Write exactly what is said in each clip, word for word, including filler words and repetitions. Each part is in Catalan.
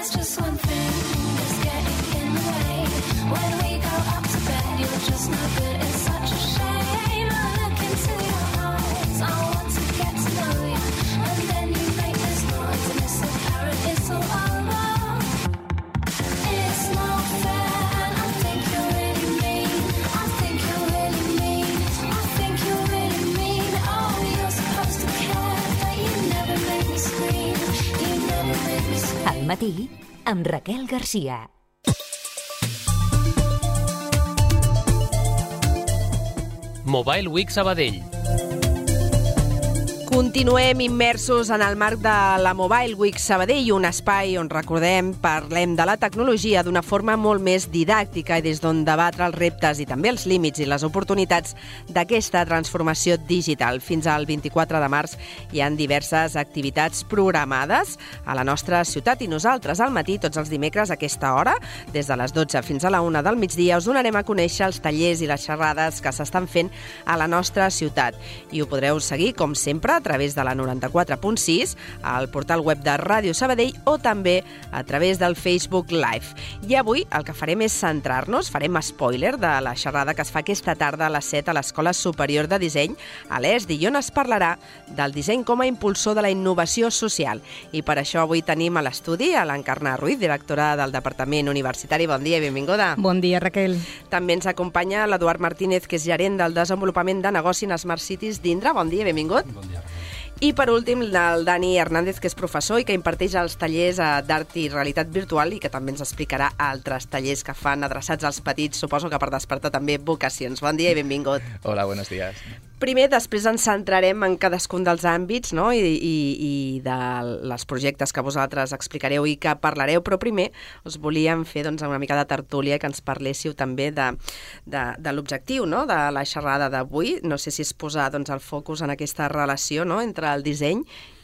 There's just one thing that's getting in the way. When we go up to bed, you're just no good. It's such a shame. I look into your eyes. I want to get to know you. And then you make this noise, and it's apparent it's all over. It's not fair, and I think you're really mean. I think you're really mean. I think you're really mean. Oh, you're supposed to care, but you never make me scream. You never make me scream. Al matí, amb Raquel Garcia. Mobile Week Sabadell. Continuem immersos en el marc de la Mobile Week Sabadell, un espai on, recordem, parlem de la tecnologia d'una forma molt més didàctica i des d'on debatre els reptes i també els límits i les oportunitats d'aquesta transformació digital. Fins al vint-i-quatre de març hi ha diverses activitats programades a la nostra ciutat i nosaltres al matí, tots els dimecres a aquesta hora, des de les dotze fins a la una del migdia, us donarem a conèixer els tallers i les xerrades que s'estan fent a la nostra ciutat. I ho podreu seguir, com sempre, a través de la noranta-quatre punt sis, al portal web de Ràdio Sabadell o també a través del Facebook Live. I avui el que farem és centrar-nos, farem spoiler de la xerrada que es fa aquesta tarda a les set a l'Escola Superior de Disseny, a l'E S D I, on es parlarà del disseny com a impulsor de la innovació social. I per això avui tenim a l'estudi a l'Encarna Ruiz, directora del Departament Universitari. Bon dia i benvinguda. Bon dia, Raquel. També ens acompanya l'Eduard Martínez, que és gerent del desenvolupament de negoci en Smart Cities d'Indra. Bon dia i benvingut. Bon dia, Raquel. I per últim, el Dani Hernández, que és professor i que imparteix els tallers d'art i realitat virtual i que també ens explicarà altres tallers que fan adreçats als petits, suposo que per despertar també vocacions. Bon dia i benvingut. Hola, buenos días. Primer, després ens centrarem en cadascun dels àmbits, no? I, i, i de les projectes que vosaltres explicareu i que parlareu, però primer us volíem fer doncs, una mica de tertúlia que ens parléssiu també de, de, de l'objectiu, no? De la xerrada d'avui. No sé si és posar doncs, el focus en aquesta relació, no? Entre el disseny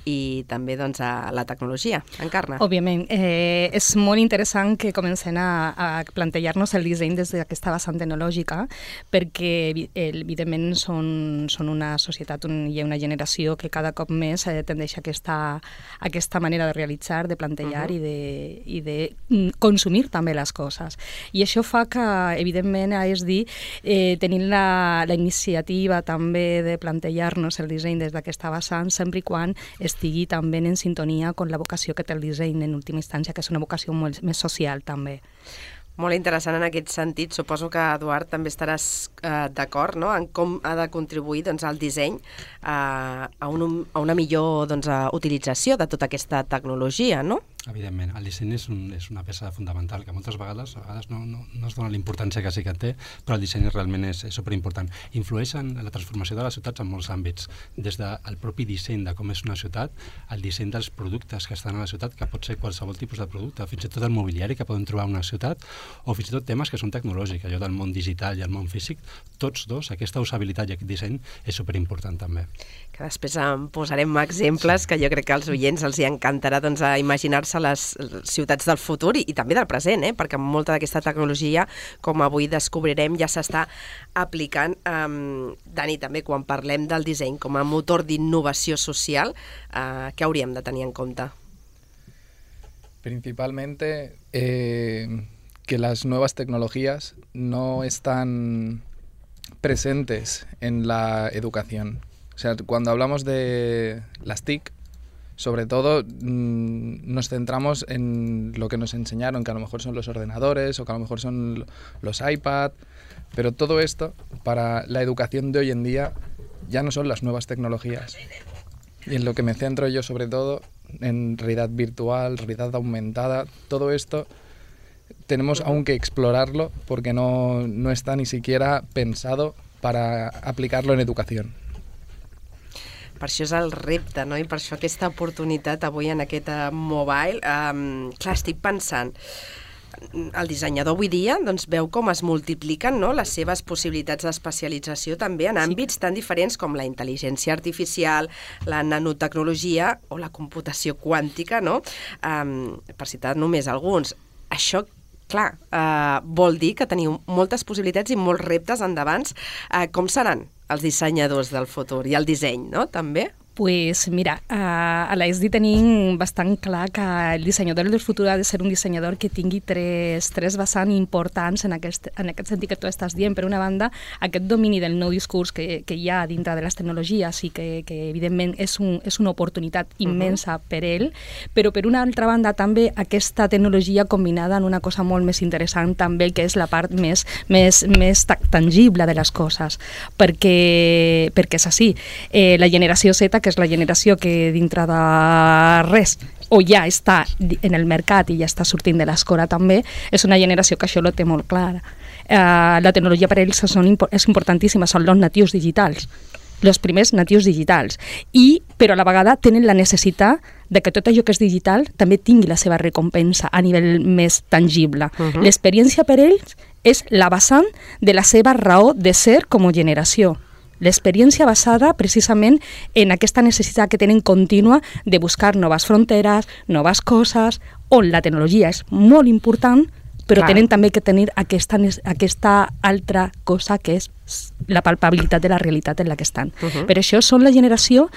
i també doncs, a la tecnologia. Encarna. Òbviament. Eh, és molt interessant que comencem a, a plantejar-nos el disseny des d'aquesta vessant tecnològica, perquè evidentment són, són una societat, un, hi ha una generació que cada cop més eh, tendeix a aquesta, a aquesta manera de realitzar, de plantejar uh-huh. i, de, i de consumir també les coses. I això fa que, evidentment, és dir, eh, tenint la, la iniciativa també de plantejar-nos el disseny des d'aquesta vessant, sempre i quan estigui també en sintonia amb la vocació que té el disseny en última instància, que és una vocació molt més social també. Molt interessant en aquest sentit. Suposo que, Eduard, també estaràs eh, d'acord, no?, en com ha de contribuir doncs, el disseny eh, a, un, a una millor doncs, a utilització de tota aquesta tecnologia, no? Evidentment, el disseny és, un, és una peça fundamental que moltes vegades, a vegades no, no, no es dona la importància que sí que té, però el disseny realment és, és superimportant. Influeix en la transformació de les ciutats en molts àmbits, des del propi disseny de com és una ciutat, el disseny dels productes que estan a la ciutat, que pot ser qualsevol tipus de producte, fins i tot el mobiliari que podem trobar a una ciutat, o fins i tot temes que són tecnològics, allò del món digital i el món físic, tots dos, aquesta usabilitat i aquest disseny és superimportant també. Que després en posarem exemples que jo crec que als oients els hi encantarà doncs, a imaginar-se les ciutats del futur i, i també del present, eh? Perquè molta d'aquesta tecnologia, com avui descobrirem, ja s'està aplicant. Um, Dani, també quan parlem del disseny com a motor d'innovació social, uh, què hauríem de tenir en compte? Principalmente eh, que las nuevas tecnologías no están presentes en la educación. O sea, cuando hablamos de las T I C, sobre todo mmm, nos centramos en lo que nos enseñaron, que a lo mejor son los ordenadores o que a lo mejor son los iPad, pero todo esto para la educación de hoy en día ya no son las nuevas tecnologías. Y en lo que me centro yo sobre todo, en realidad virtual, realidad aumentada, todo esto tenemos aún que explorarlo porque no, no está ni siquiera pensado para aplicarlo en educación. Per això és el repte, no? I per això aquesta oportunitat avui en aquest mobile. Um, clar, estic pensant, el dissenyador avui dia doncs, veu com es multipliquen, no?, les seves possibilitats d'especialització també en àmbits sí. tan diferents com la intel·ligència artificial, la nanotecnologia o la computació quàntica, no? Um, per citar només alguns. Això, clar, uh, vol dir que teniu moltes possibilitats i molts reptes endavant. Uh, com seran els dissenyadors del futur i el disseny, no?, també? Pues mira, a, a l'E S D I tenim bastant clar que el dissenyador del futur ha de ser un dissenyador que tingui tres, tres vessants importants en aquest, en aquest sentit que tu estàs dient. Per una banda, aquest domini del nou discurs que, que hi ha dintre de les tecnologies i que, que evidentment és, un, és una oportunitat immensa uh-huh. per ell, però per una altra banda també aquesta tecnologia combinada en una cosa molt més interessant també, que és la part més, més, més tangible de les coses, perquè, perquè és així. Eh, la generació Z, que és la generació que dintre de res o ja està en el mercat i ja està sortint de l'escola també, és una generació que això ho té molt clara. Uh, la tecnologia per ells són, és importantíssima, són els natius digitals, els primers natius digitals, i, però a la vegada tenen la necessitat de que tot allò que és digital també tingui la seva recompensa a nivell més tangible. Uh-huh. L'experiència per ells és la vessant de la seva raó de ser com a generació. L'experiència basada precisament en aquesta necessitat que tenen contínua de buscar noves fronteres, noves coses, on la tecnologia és molt important, però Clar. Tenen també que tenir aquesta, aquesta altra cosa que és la palpabilitat de la realitat en la que estan. Uh-huh. Per això són la generació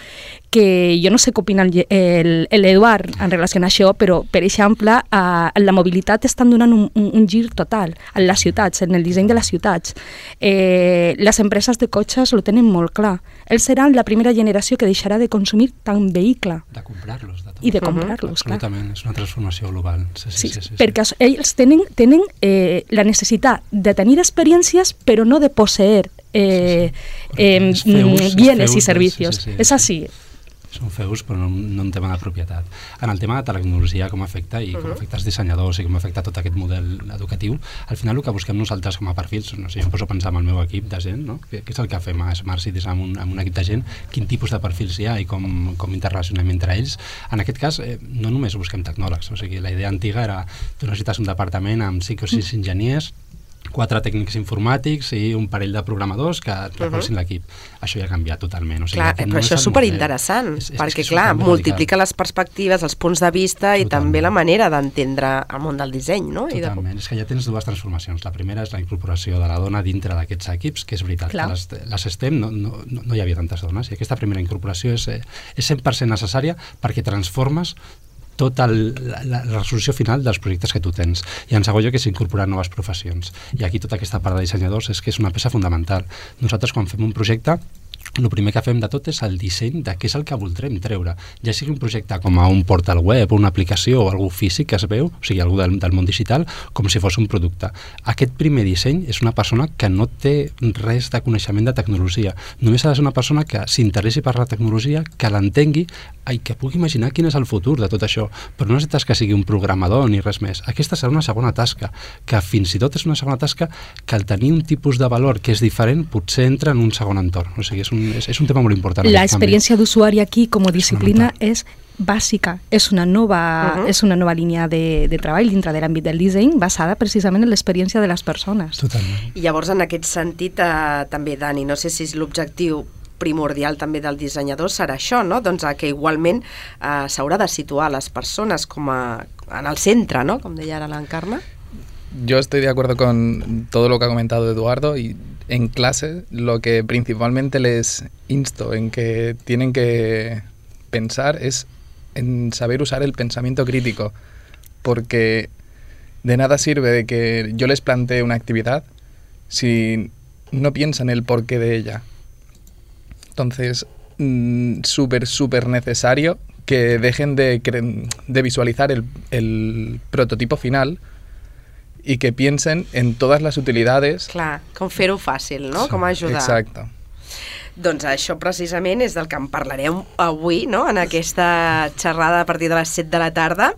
que jo no sé què opina l'Eduard en relació a això, però, per exemple, a la mobilitat estan donant un, un, un gir total en les ciutats, en el disseny de les ciutats. Eh, les empreses de cotxes ho tenen molt clar. Ells seran la primera generació que deixarà de consumir tant vehicle. De comprar-los. De I de comprar-los, uh-huh. clar. Absolutament, és una transformació global. Sí, sí, sí, sí, sí, sí. perquè ells tenen, tenen eh, la necessitat de tenir experiències, però no de posseir Eh, eh, feus, bienes feus, i servicios. Sí, sí, sí, és així. Són feus, però no, no en tema de propietat. En el tema de tecnologia, com afecta, i com uh-huh. afecta els dissenyadors i com afecta tot aquest model educatiu, al final el que busquem nosaltres com a perfils, no sé, jo em poso a pensar en el meu equip de gent, no? Què és el que fem a Smart Cities amb un, amb un equip de gent, quin tipus de perfils hi ha i com, com interrelacionem entre ells. En aquest cas, eh, no només busquem tecnòlegs, o sigui, la idea antiga era tu necessites un departament amb cinc o sis enginyers, quatre tècnics informàtics i un parell de programadors que recolzin uh-huh. l'equip. Això ja ha canviat totalment. O sigui, clar, però no això és superinteressant, és, és, perquè, és clar, multiplica les perspectives, els punts de vista totalment. I també la manera d'entendre el món del disseny, no? Totalment. I de... És que ja tens dues transformacions. La primera és la incorporació de la dona dintre d'aquests equips, que és veritat, clar. que les, les STEM no, no, no hi havia tantes dones, i aquesta primera incorporació és, és cent per cent necessària perquè transformes tota la, la resolució final dels projectes que tu tens. I en segon lloc és incorporar noves professions. I aquí tota aquesta part de dissenyadors és que és una peça fundamental. Nosaltres quan fem un projecte, el primer que fem de tot és el disseny de què és el que voldrem treure. Ja sigui un projecte com a un portal web o una aplicació o algú físic que es veu, o sigui, algú del, del món digital, com si fos un producte. Aquest primer disseny és una persona que no té res de coneixement de tecnologia. Només ha de ser una persona que s'interessi per la tecnologia, que l'entengui i que pugui imaginar quin és el futur de tot això. Però no necessites que sigui un programador ni res més. Aquesta serà una segona tasca, que fins i tot és una segona tasca que al tenir un tipus de valor que és diferent potser entra en un segon entorn. O sigui, és un És, és un tema molt important. La experiència d'usuari aquí com a disciplina és bàsica, és una nova, uh-huh. és una nova línia de, de treball dintre de l'àmbit del disseny basada precisament en l'experiència de les persones. Totalment. I llavors en aquest sentit eh, també, Dani, no sé si és l'objectiu primordial també del dissenyador serà això, no? Doncs que igualment eh, s'haurà de situar les persones com a, en el centre, ¿no? Com deia ara l'Encarna. Yo estoy de acuerdo con todo lo que ha comentado Eduardo y en clase lo que principalmente les insto en que tienen que pensar es en saber usar el pensamiento crítico, porque de nada sirve de que yo les plantee una actividad si no piensan el porqué de ella. Entonces, mmm, súper, súper necesario que dejen de, de visualizar el, el prototipo final i que piensen en totes les utilitats. Clar, com fer-ho fàcil, no? Sí, com ajudar. Exacte. Doncs això precisament és del que en parlarem avui, no? En aquesta xerrada a partir de les set de la tarda.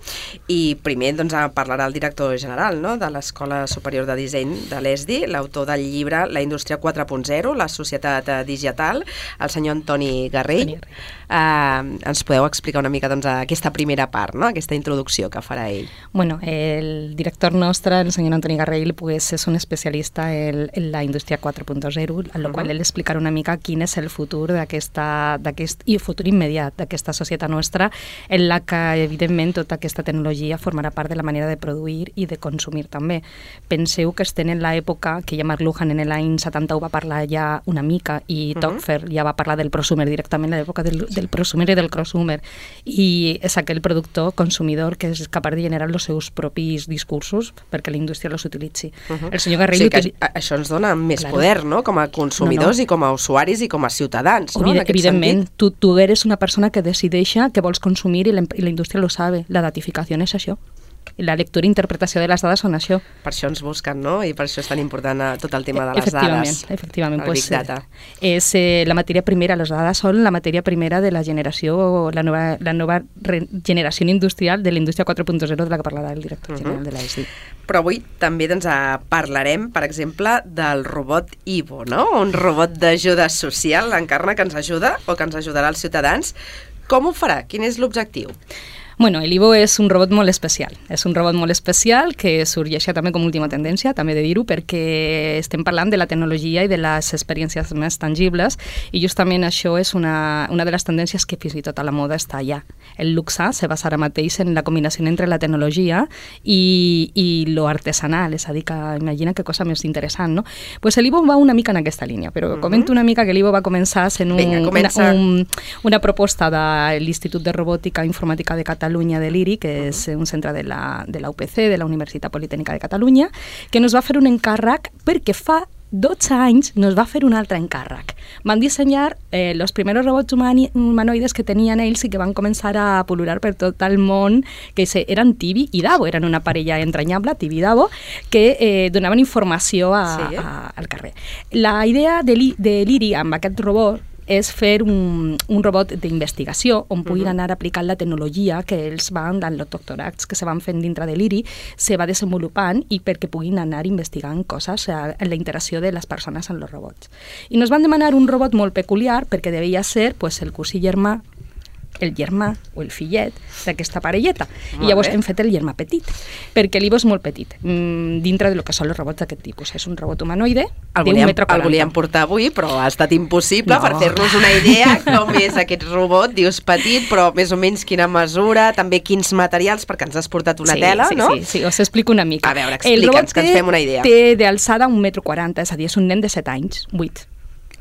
I primer doncs, parlarà el director general, no? De l'Escola Superior de Disseny de l'E S D I, l'autor del llibre La indústria quatre punt zero, la societat digital, el senyor Antoni Garrell. Uh, ens podeu explicar una mica doncs, aquesta primera part, no? Aquesta introducció que farà ell. Bueno, el director nostre, el senyor Antoni Garrell, pues, és un especialista en, en la indústria quatre punt zero, en la uh-huh. qual ell explicarà una mica quin és el futur d'aquesta, d'aquest, i el futur immediat d'aquesta societat nostra, en la que, evidentment, tota aquesta tecnologia formarà part de la manera de produir i de consumir també. Penseu que estem en l'època que ja McLuhan en l'any setanta va parlar ja una mica i uh -huh. Topfer ja va parlar del prosumer directament, l'època del, del prosumer i del crossumer, i és aquell productor consumidor que és capaç de generar els seus propis discursos perquè la indústria els utilitzi. Uh -huh. El senyor Garrill... O sigui que això ens dona més claro. poder, no?, com a consumidors no, no. i com a usuaris i com a ciutadans, no?, Evident, evidentment, tu, tu eres una persona que decideixa que vols consumir i la, i la indústria lo sabe. La datificació és això. La lectura i interpretació de les dades són això. Per això ens busquen, no? I per això és tan important tot el tema de les efectivament, dades. Efectivament, el pues, Big Data. És eh, la matèria primera, les dades són la matèria primera de la generació, la nova, la nova re, generació industrial de la indústria quatre punt zero de la que parlarà el director uh -huh. general de l'A E S D I. Però avui també doncs, parlarem, per exemple, del robot Ivo, no? Un robot d'ajuda social, Encarna, que ens ajuda o que ens ajudarà als ciutadans. Com ho farà? Quin és l'objectiu? Bueno, el Ivo és un robot molt especial. És un robot molt especial que sorgeix també com última tendència, també de dir-ho, perquè estem parlant de la tecnologia i de les experiències més tangibles, i justament això és una, una de les tendències que fins i tot a la moda està allà. El luxe se basa ara mateix en la combinació entre la tecnologia i, i lo artesanal, és a dir, que imagina que cosa més interessant, no? Pues el Ivo va una mica en aquesta línia, però uh-huh. comento una mica que el Ivo va començar sent un, Vinga, una, un, una proposta de l'Institut de Robòtica i Informàtica de Catalunya Catalunya de l'I R I, que és un centre de la, de la U P C, de la Universitat Politècnica de Catalunya, que nos va fer un encàrrec perquè fa dotze anys nos va fer un altre encàrrec. Van dissenyar eh, els primers robots humani, humanoides que tenien ells i que van començar a pol·lular per tot el món, que eren Tibi i Davo, eren una parella entranyable, Tibi i Davo, que eh, donaven informació a, sí, eh? a, al carrer. La idea de l'I R I amb aquest robot és fer un, un robot d'investigació on puguin anar aplicant la tecnologia que ells van, en els doctorats que se van fent dintre de l'I R I, se va desenvolupant i perquè puguin anar investigant coses en la interacció de les persones amb els robots. I nos van demanar un robot molt peculiar perquè devia ser pues, el cosí germà, el germà o el fillet d'aquesta parelleta. Molt I llavors bé. hem fet el germà petit, perquè l'Ivo és molt petit, mmm, dintre del que són els robots d'aquest tipus. És un robot humanoide d'un metre quaranta. El volíem portar avui, però ha estat impossible no. per fer-nos una idea com és aquest robot. Dius petit, però més o menys quina mesura, també quins materials, perquè ens has portat una sí, tela, sí, no? Sí, sí, us explico una mica. A veure, explica'ns, que ens fem una idea. El robot té d'alçada un metre quaranta, és a dir, és un nen de set anys, vuit.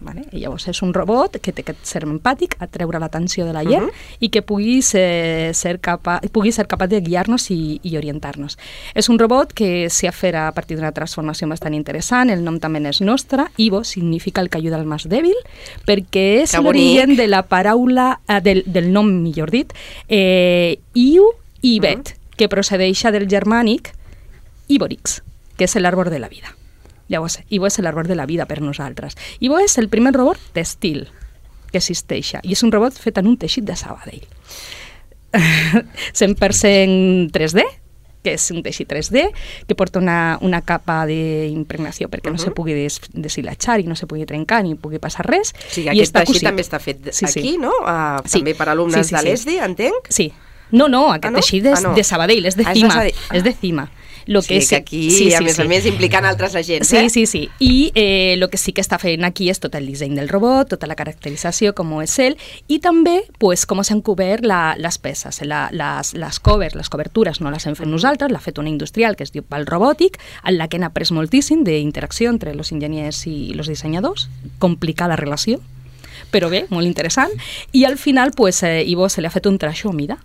Vale? I llavors és un robot que té aquest serm empàtic, a treure l'atenció de la gent uh -huh. i que pugui ser, ser, capa, pugui ser capaç de guiar-nos i, i orientar-nos. És un robot que s'ha fet a partir d'una transformació bastant interessant, el nom també és nostre, Ivo significa el que ajuda al més dèbil, perquè és l'origen de la paraula, eh, del, del nom, millor dit, eh, Iu i Bet, uh -huh. que procedeix del germànic Ivorix, que és l'àrbol de la vida. Llavors, Ivo és l'arbor de la vida per nosaltres. Ivo és el primer robot d'estil que existeix i és un robot fet en un teixit de Sabadell. cent per cent tres D, que és un teixit tres D, que porta una, una capa d'impregnació perquè uh-huh. no se pugui des, deshilatxar i no se pugui trencar ni pugui passar res. O sigui, aquest teixit també està fet sí, aquí, sí. no? Uh, sí. També per alumnes sí, sí, de l'E S D I, entenc? Sí. No, no, aquest ah, no? teixit és ah, no. de Sabadell, és de ah, Cima. És de... És de Cima. Lo sí, que, és, que aquí, sí, sí, a més sí. a més, implicant altres agents, sí, eh? Sí, sí, sí. I el eh, que sí que està fent aquí és tot el disseny del robot, tota la caracterització, com és ell, i també pues, com s'han cobert la, les peces, la, les, les covers, les cobertures no les hem fet nosaltres, l'ha fet una industrial que es diu Val Robòtic, en la que hem après moltíssim d'interacció entre els enginyers i els dissenyadors, complicada relació, però bé, molt interessant, i al final pues, eh, Ivo se li ha fet un traixó a mida.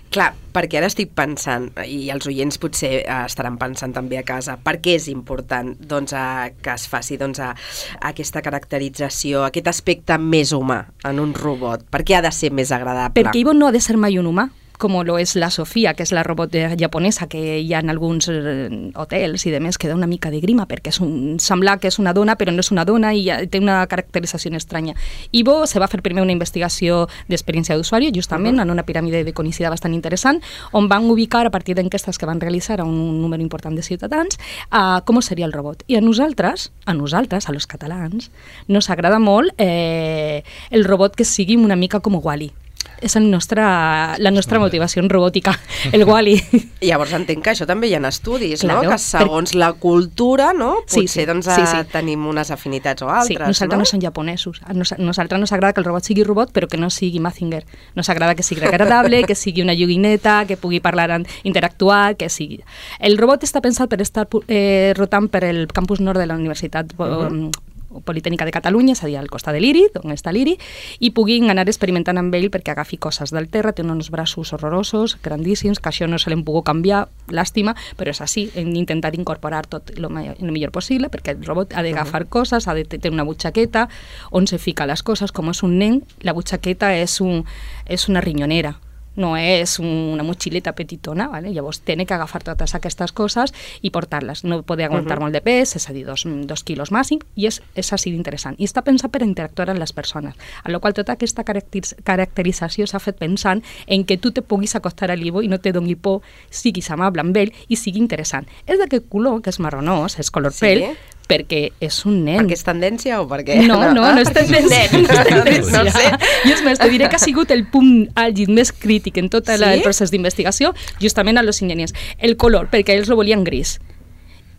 Clar, perquè ara estic pensant, i els oients potser eh, estaran pensant també a casa, per què és important doncs, a, que es faci doncs, a, a aquesta caracterització, aquest aspecte més humà en un robot? Per què ha de ser més agradable? Perquè Ivo no ha de ser mai un humà, com lo és la Sofia, que és la robot japonesa que hi ha en alguns eh, hotels i demés, que da una mica de grima, perquè és un, sembla que és una dona, però no és una dona i té una caracterització estranya. Ivo se va fer primer una investigació d'experiència d'usuari, justament, uh-huh. en una piràmide de conicitat bastant interessant, on van ubicar, a partir d'enquestes que van realitzar a un número important de ciutadans, a com seria el robot. I a nosaltres, a nosaltres, a los catalans, nos agrada molt eh, el robot que sigui una mica com Wall-E. és el nostre, la nostra motivació robòtica, el Wall-E. Llavors entenc que això també hi ha estudis, Claro, no? Que segons la cultura, no? Sí, Potser sí, doncs, sí, sí. tenim unes afinitats o Sí, altres, nosaltres no, no? som japonesos. A nos- nosaltres nos agrada que el robot sigui robot, però que no sigui Mazinger. Nos agrada que sigui agradable, que sigui una joguineta, que pugui parlar, en- interactuar, que sigui... El robot està pensat per estar pu- eh, rotant per el campus nord de la Universitat uh-huh. Politècnica de Catalunya, és a dir, al costat de l'I R I, on està l'I R I, i puguin anar experimentant amb ell perquè agafi coses del terra, té uns braços horrorosos, grandíssims, que això no se l'hem pogut canviar, làstima, però és així, hem d'intentar incorporar tot el millor possible, perquè el robot ha d'agafar uh-huh. coses, ha de tenir una butxaqueta, on se fica les coses, com és un nen, la butxaqueta és, un, és una rinyonera, no és una motxileta petitona, ¿vale? Llavors té que agafar totes aquestes coses i portar-les. No pot aguantar uh-huh. molt de pes, és a dir, dos, dos quilos màxim, i és, és així d'interessant. I està pensat per interactuar amb les persones, a la qual tota aquesta caracter caracterització s'ha fet pensant en que tu te puguis acostar a l'Ivo i no te doni por, siguis amable amb ell i sigui interessant. És d'aquest color, que és marronós, és color Sí. pell, perquè és un nen. Perquè és tendència o perquè... No, no, no, no és tendència. Nen, no és tendència. No sé. I és més, te diré que ha sigut el punt àlgid més crític en tot Sí? el procés d'investigació, justament a los enginyers. El color, perquè ells lo volien gris.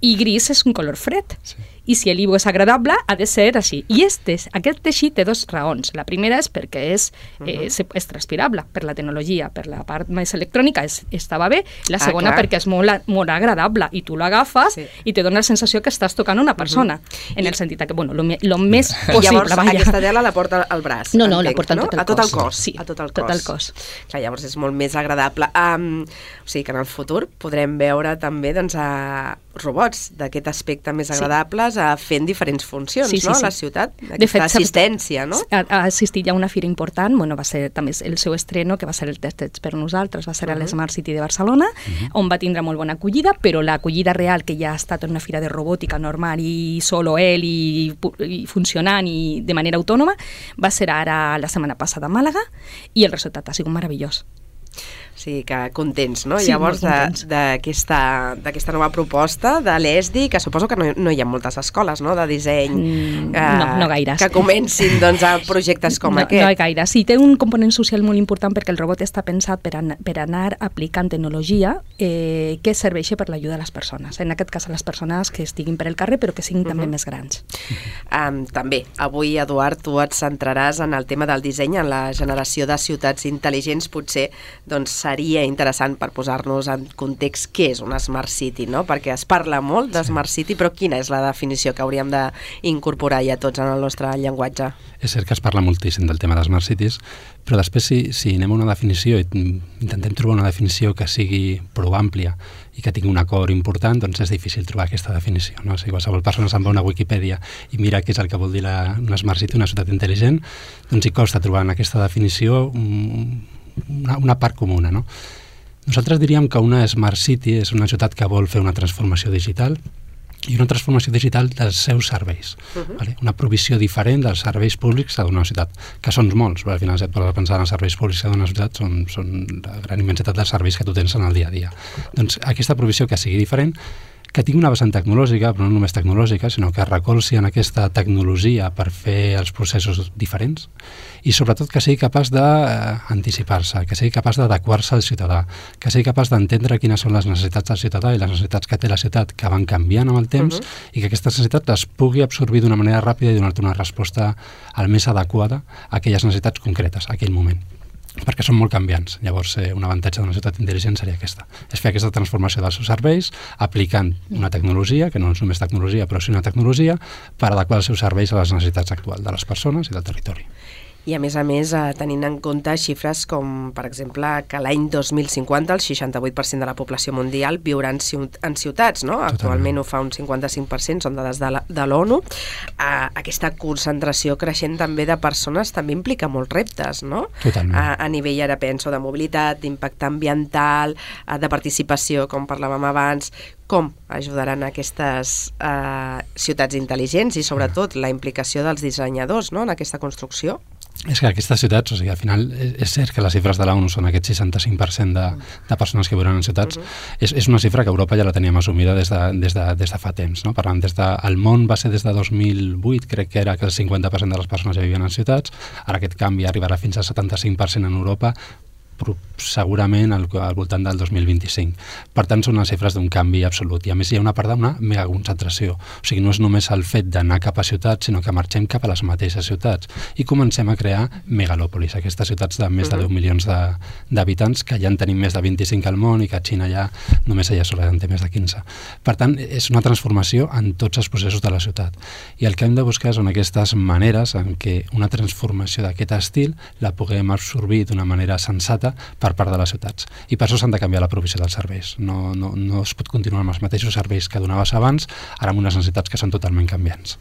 I gris és un color fred. Sí. I si l'Ivo és agradable, ha de ser així. I este, aquest teixit té dues raons. La primera és perquè és, eh, uh-huh. és transpirable per la tecnologia, per la part més electrònica és, estava bé. La Ah, segona clar. perquè és molt, molt agradable i tu l'agafes Sí. i te dona la sensació que estàs tocant una persona. Uh-huh. En el sentit que, bueno, lo, me- lo més I possible, llavors vaja. aquesta tela la porta al braç. No, no, la entenc, porta en no? tot el a tot el cos. cos. Sí, a tot el tot cos. el cos. Clar, llavors és molt més agradable. Um, o sigui que en el futur podrem veure també doncs, a robots d'aquest aspecte més Sí. agradables a fent diferents funcions, Sí, sí, no? sí. A la ciutat, De aquesta fet, s'ha- assistència, no? Ha, ha assistit ja a una fira important, bueno, va ser també el seu estreno, que va ser el Tested per nosaltres, va ser uh -huh. a l'Smart City de Barcelona, uh -huh. on va tindre molt bona acollida, però l'acollida real, que ja ha estat en una fira de robòtica normal i solo ell i, i funcionant i de manera autònoma, va ser ara la setmana passada a Màlaga i el resultat ha sigut meravellós. O sigui que contents, no? Sí, Llavors, molt contents. de- d'aquesta d'aquesta nova proposta de l'E S D I, que suposo que no, no hi ha moltes escoles, no?, de disseny Mm, no, no gaires. que comencin doncs, a projectes com no, aquest. No hi gaire. Sí, té un component social molt important perquè el robot està pensat per, an per anar aplicant tecnologia eh, que serveixi per l'ajuda a les persones. En aquest cas, a les persones que estiguin per el carrer, però que siguin uh -huh. també més grans. Um, també, avui, Eduard, tu et centraràs en el tema del disseny, en la generació de ciutats intel·ligents. Potser doncs, seria interessant per posar-nos en context què és una Smart City, no? Perquè es parla molt de Smart City, però quina és la definició que hauríem d'incorporar ja tots en el nostre llenguatge? És cert que es parla moltíssim del tema de Smart Cities, però després si, si anem a una definició i intentem trobar una definició que sigui prou àmplia i que tingui un acord important, doncs és difícil trobar aquesta definició, no? Si qualsevol persona se'n va a una Wikipedia i mira què és el que vol dir la, una Smart City, una ciutat intel·ligent, doncs hi costa trobar en aquesta definició un, una, una part comuna, no? Nosaltres diríem que una Smart City és una ciutat que vol fer una transformació digital i una transformació digital dels seus serveis. Uh-huh. Vale? Una provisió diferent dels serveis públics que dona una ciutat, que són molts, però al final si et poses a pensar en els serveis públics que dona una ciutat són, són la gran immensitat dels serveis que tu tens en el dia a dia. Doncs aquesta provisió que sigui diferent, que tingui una vessant tecnològica, però no només tecnològica, sinó que recolzi en aquesta tecnologia per fer els processos diferents i sobretot que sigui capaç d'anticipar-se, que sigui capaç d'adequar-se al ciutadà, que sigui capaç d'entendre quines són les necessitats del ciutadà i les necessitats que té la ciutat que van canviant amb el temps uh-huh. i que aquestes necessitats les pugui absorbir d'una manera ràpida i donar-te una resposta el més adequada a aquelles necessitats concretes, a aquell moment, perquè són molt canviants. Llavors, eh, un avantatge d'una ciutat intel·ligent seria aquesta. És fer aquesta transformació dels seus serveis aplicant una tecnologia, que no és només tecnologia, però sí una tecnologia, per adequar els seus serveis a les necessitats actuals de les persones i del territori. I a més a més, eh, tenint en compte xifres com, per exemple, que l'any dos mil cinquanta el seixanta-vuit per cent de la població mundial viurà en, ciut en ciutats, no? Totalment. Actualment ho fa un cinquanta-cinc per cent, són dades de la- de l'ONU. Eh, aquesta concentració creixent també de persones també implica molts reptes, no? Totalment. A, a nivell, ara penso, de mobilitat, d'impacte ambiental, eh, de participació, com parlàvem abans. Com ajudaran aquestes eh, ciutats intel·ligents i sobretot la implicació dels dissenyadors, no?, en aquesta construcció? És que aquestes ciutats, o sigui, al final és, és cert que les xifres de l'ONU són aquest seixanta-cinc per cent de, de persones que viuen en ciutats. Uh-huh. és, és una xifra que Europa ja la teníem assumida des de, des de, des de fa temps. No? Per tant, des de, el món va ser des de dos mil vuit, crec que era que el cinquanta per cent de les persones ja vivien en ciutats. Ara aquest canvi arribarà fins al setanta-cinc per cent en Europa, però segurament al, al voltant del dos mil vint-i-cinc. Per tant, són les xifres d'un canvi absolut. I a més hi ha una part d'una megaconcentració. O sigui, no és només el fet d'anar cap a ciutats, sinó que marxem cap a les mateixes ciutats i comencem a crear megalòpolis, aquestes ciutats de més de deu milions d'habitants, que ja en tenim més de vint-i-cinc al món i que a Xina ja només ella sola en té més de quinze. Per tant, és una transformació en tots els processos de la ciutat. I el que hem de buscar són aquestes maneres en què una transformació d'aquest estil la puguem absorbir d'una manera sensata per part de les ciutats. I per això s'han de canviar la provisió dels serveis. No, no, no es pot continuar amb els mateixos serveis que donaves abans, ara amb unes necessitats que són totalment canviants.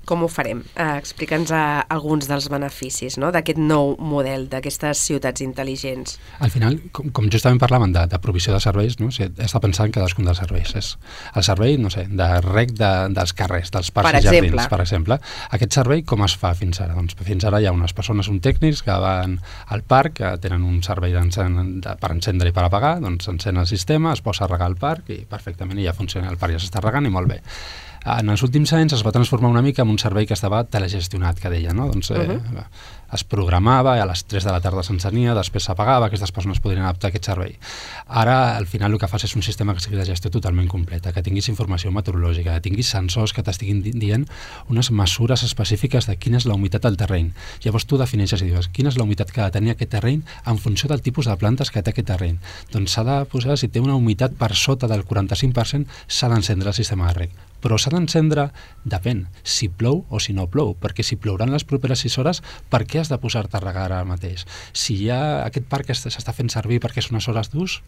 Com ho farem? Eh, Explica'ns eh, alguns dels beneficis, no?, d'aquest nou model, d'aquestes ciutats intel·ligents. Al final, com, com justament parlaven de, de provisió de serveis, no? O sigui, has de pensar en cadascun dels serveis. És el servei, no sé, de rec de, dels carrers, dels parcs i jardins, per exemple. Aquest servei com es fa fins ara? Doncs fins ara hi ha unes persones, uns tècnics que van al parc, que tenen un servei de, per encendre i per apagar, doncs encén el sistema, es posa a regar al parc i perfectament ja funciona, el parc ja s'està regant i molt bé. En els últims anys es va transformar una mica en un servei que estava telegestionat, que deia, no? Doncs eh, uh-huh. es programava, a les tres de la tarda s'encenia, després s'apagava, aquestes persones podrien adaptar aquest servei. Ara, al final, el que fas és un sistema que sigui de gestió totalment completa, que tinguis informació meteorològica, que tinguis sensors que t'estiguin dient unes mesures específiques de quina és la humitat del terreny. Llavors tu defineixes i dius quina és la humitat que ha de tenir aquest terreny en funció del tipus de plantes que té aquest terreny. Doncs s'ha de posar, si té una humitat per sota del quaranta-cinc per cent, s'ha d'encendre el sistema de reg. Però s'ha d'encendre, depèn, si plou o si no plou, perquè si plouran les properes sis hores, per què has de posar-te a regar ara mateix? Si ja aquest parc s'està fent servir perquè és unes hores d'ús,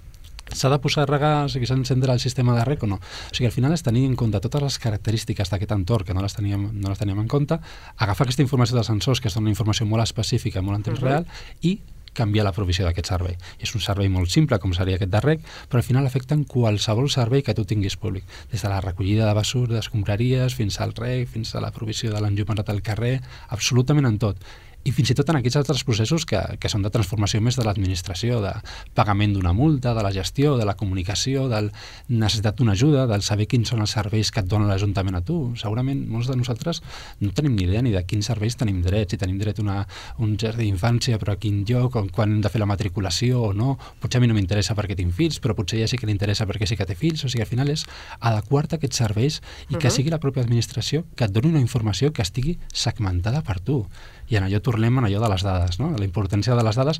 s'ha de posar a regar, o sigui, s'ha d'encendre el sistema de reg o no? O sigui, al final és tenir en compte totes les característiques d'aquest entorn que no les teníem, no les teníem en compte, agafar aquesta informació dels sensors, que és una informació molt específica, molt en temps uh-huh. real, i canviar la provisió d'aquest servei. És un servei molt simple, com seria aquest de reg, però al final afecten qualsevol servei que tu tinguis públic, des de la recollida de basura, d'escombraries, fins al reg, fins a la provisió de l'enllumenat al carrer, absolutament en tot. I fins i tot en aquests altres processos que, que són de transformació més de l'administració, de pagament d'una multa, de la gestió, de la comunicació, de la necessitat d'una ajuda, del saber quins són els serveis que et dona l'Ajuntament a tu. Segurament molts de nosaltres no tenim ni idea ni de quins serveis tenim dret, si tenim dret a una, un jardí d'infància, però a quin lloc, quan hem de fer la matriculació o no. Potser a mi no m'interessa perquè tinc fills, però potser ja sí que li interessa perquè sí que té fills. O sigui, al final és adequar-te a aquests serveis i que uh-huh. sigui la pròpia administració que et doni una informació que estigui segmentada per tu. I en allò tornem en allò de les dades, no? La importància de les dades,